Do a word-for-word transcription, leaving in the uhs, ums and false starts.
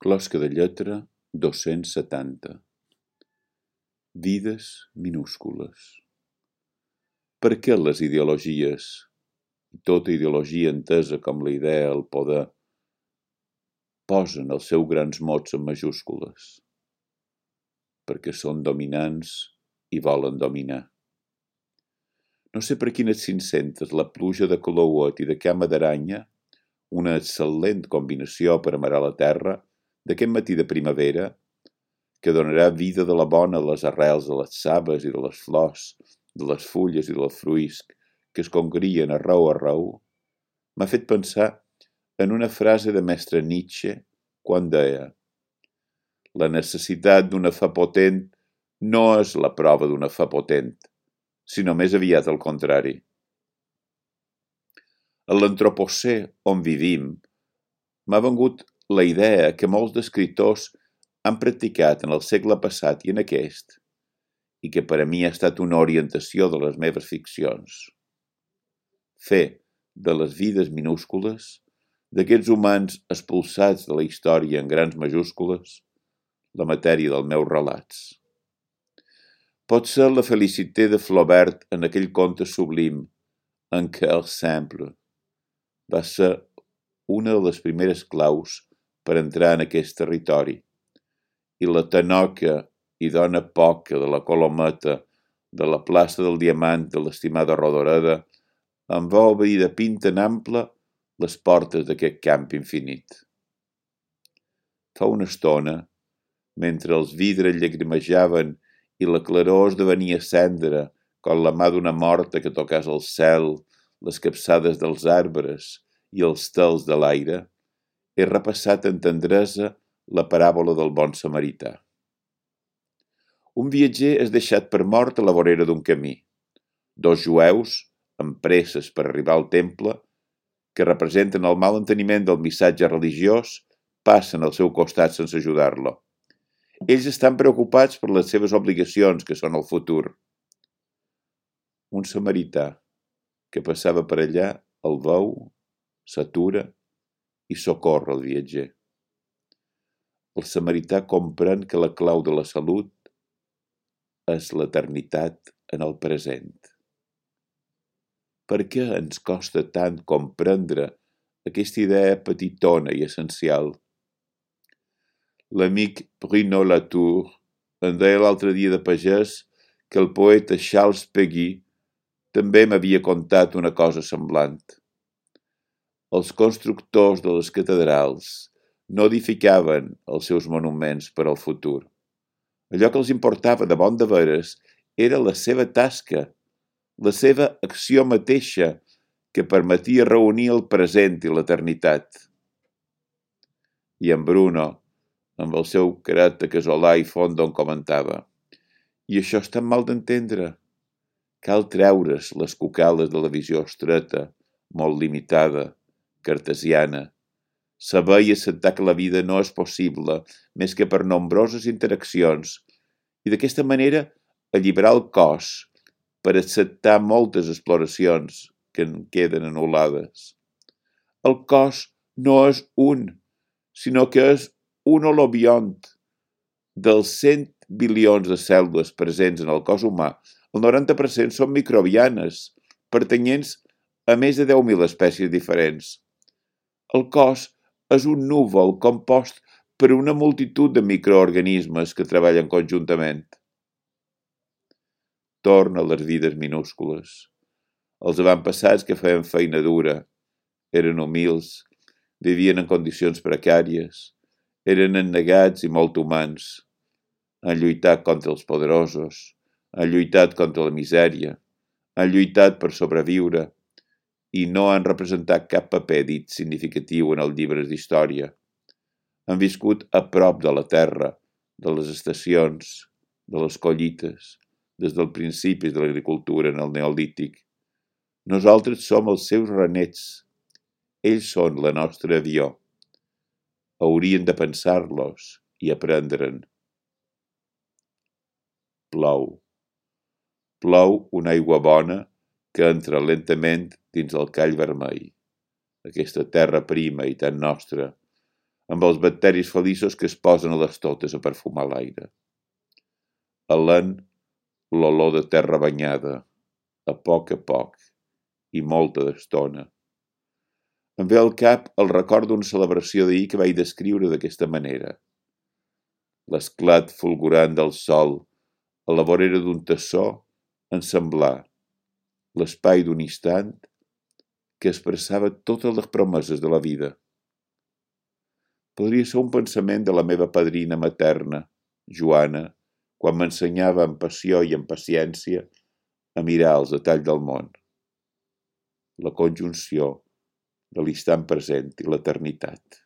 Closca de lletra dos-cents setanta. Vides minúscules. Per què les ideologies, i tota ideologia entesa com la idea, el poder, posen els seus grans mots en majúscules? Perquè són dominants i volen dominar. No sé per quines cinc-centes la pluja de colouet i de cama d'aranya, una excel·lent combinació per amarar la terra, d'aquest matí de primavera, que donarà vida de la bona a les arrels de les saves i de les flors, de les fulles i del fruisc, que es congrien arreu arreu, m'ha fet pensar en una frase de mestre Nietzsche quan deia: la necessitat d'una fe potent no és la prova d'una fe potent, sinó més aviat al contrari. A l'antropocè on vivim m'ha vengut la idea que molts d'escriptors han practicat en el segle passat i en aquest, i que per a mi ha estat una orientació de les meves ficcions. Fer de les vides minúscules, d'aquests humans expulsats de la història en grans majúscules, la matèria dels meus relats. Pot ser la felicité de Flaubert en aquell conte sublim, Un cœur simple. Va ser una de les primeres claus per entrar en aquest territori, i la tanoca i dona poca de la Colometa, de la plaça del Diamant de l'estimada Rodoreda, em va obrir de pinta en ample les portes d'aquest camp infinit. Fa una estona, mentre els vidres llagrimejaven i la claror esdevenia cendra com la mà d'una morta que tocàs el cel, les capçades dels arbres i els tels de l'aire, he repassat en tendresa la paràbola del bon samarità. Un viatger és deixat per mort a la vorera d'un camí. Dos jueus, amb presses per arribar al temple, que representen el mal enteniment del missatge religiós, passen al seu costat sense ajudar-lo. Ells estan preocupats per les seves obligacions, que són el futur. Un samarità que passava per allà el veu, s'atura i socorre el viatger. El samarità comprèn que la clau de la salut és l'eternitat en el present. Per què ens costa tant comprendre aquesta idea petitona i essencial? L'amic Bruno Latour en deia l'altre dia de pagès que el poeta Charles Péguy també m'havia contat una cosa semblant. Els constructors de les catedrals no edificaven els seus monuments per al futur. Allò que els importava de bon de veres era la seva tasca, la seva acció mateixa que permetia reunir el present i l'eternitat. I en Bruno, amb el seu caràcter casolà i fondo, en comentava: i això és tan mal d'entendre. Cal treure's les cucales de la visió estreta, molt limitada, cartesiana, saber i acceptar que la vida no és possible més que per nombroses interaccions i d'aquesta manera alliberar el cos per acceptar moltes exploracions que en queden anul·lades. El cos no és un, sinó que és un holobiont. Dels cent bilions de cèl·lules presents en el cos humà, el noranta per cent són microbianes, pertanyents a més de deu mil espècies diferents. El cos és un núvol compost per una multitud de microorganismes que treballen conjuntament. Torna a les vides minúscules. Els avantpassats que feien feina dura, eren humils, vivien en condicions precàries, eren ennegats i molt humans, han lluitat contra els poderosos, han lluitat contra la misèria, han lluitat per sobreviure i no han representat cap paper dit significatiu en els llibres d'història. Han viscut a prop de la terra, de les estacions, de les collites, des del principi de l'agricultura en el neolític. Nosaltres som els seus renets. Ells són la nostra avió. Haurien de pensar-los i aprendre'n. Plou. Plou una aigua bona que entra lentament dins el call vermell, aquesta terra prima i tan nostra, amb els bacteris feliços que es posen a les totes a perfumar l'aire. Alent l'olor de terra banyada, a poc a poc, i molta d'estona. Em ve al cap el record d'una celebració d'ahir que vaig descriure d'aquesta manera. L'esclat fulgurant del sol a la vorera d'un tassó en semblar l'espai d'un instant que expressava totes les promeses de la vida. Podria ser un pensament de la meva padrina materna, Joana, quan m'ensenyava amb passió i amb paciència a mirar els detalls del món. La conjunció de l'instant present i l'eternitat.